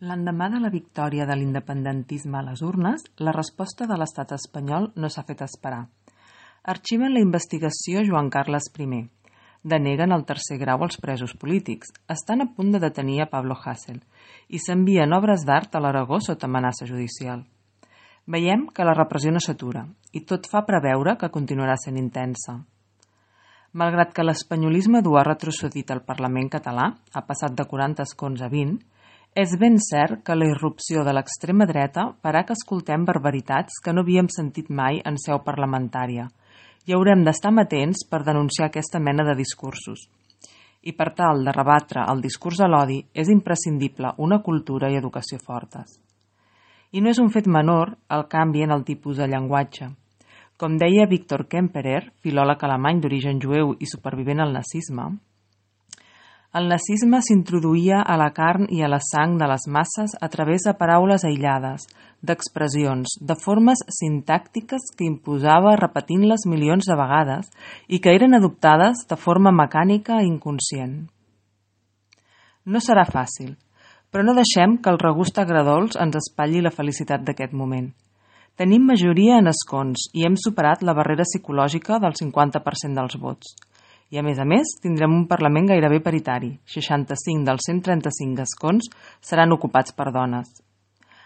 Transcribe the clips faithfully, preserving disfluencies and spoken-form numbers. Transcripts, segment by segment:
L'endemà de la victòria de l'independentisme a les urnes, la resposta de l'estat espanyol no s'ha fet esperar. Arxiven la investigació Joan Carles primer. Deneguen el tercer grau als presos polítics. Estan a punt de detenir a Pablo Hasél i s'envien obres d'art a l'Aragó sota amenaça judicial. Veiem que la repressió no s'atura i tot fa preveure que continuarà sent intensa. Malgrat que l'espanyolisme dur ha retrocedit al Parlament català, ha passat de quaranta escons a vint, és ben cert que la irrupció de l'extrema dreta farà que escoltem barbaritats que no havíem sentit mai en seu parlamentària i haurem d'estar amatents per denunciar aquesta mena de discursos. I per tal de rebatre el discurs de l'odi és imprescindible una cultura i educació fortes. I no és un fet menor el canvi en el tipus de llenguatge. Com deia Víctor Kemperer, filòleg alemany d'origen jueu i supervivent al nazisme, el nazisme s'introduïa a la carn i a la sang de les masses a través de paraules aïllades, d'expressions, de formes sintàctiques que imposava repetint-les milions de vegades i que eren adoptades de forma mecànica i inconscient. No serà fàcil, però no deixem que el regust agradols ens espatlli la felicitat d'aquest moment. Tenim majoria en escons i hem superat la barrera psicològica del cinquanta per cent dels vots. I a més a més tindrem un Parlament gairebé paritari, seixanta-cinc dels cent trenta-cinc escons seran ocupats per dones.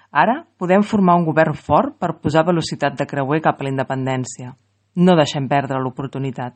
Ara podem formar un govern fort per posar velocitat de creuer cap a la independència. No deixem perdre l'oportunitat.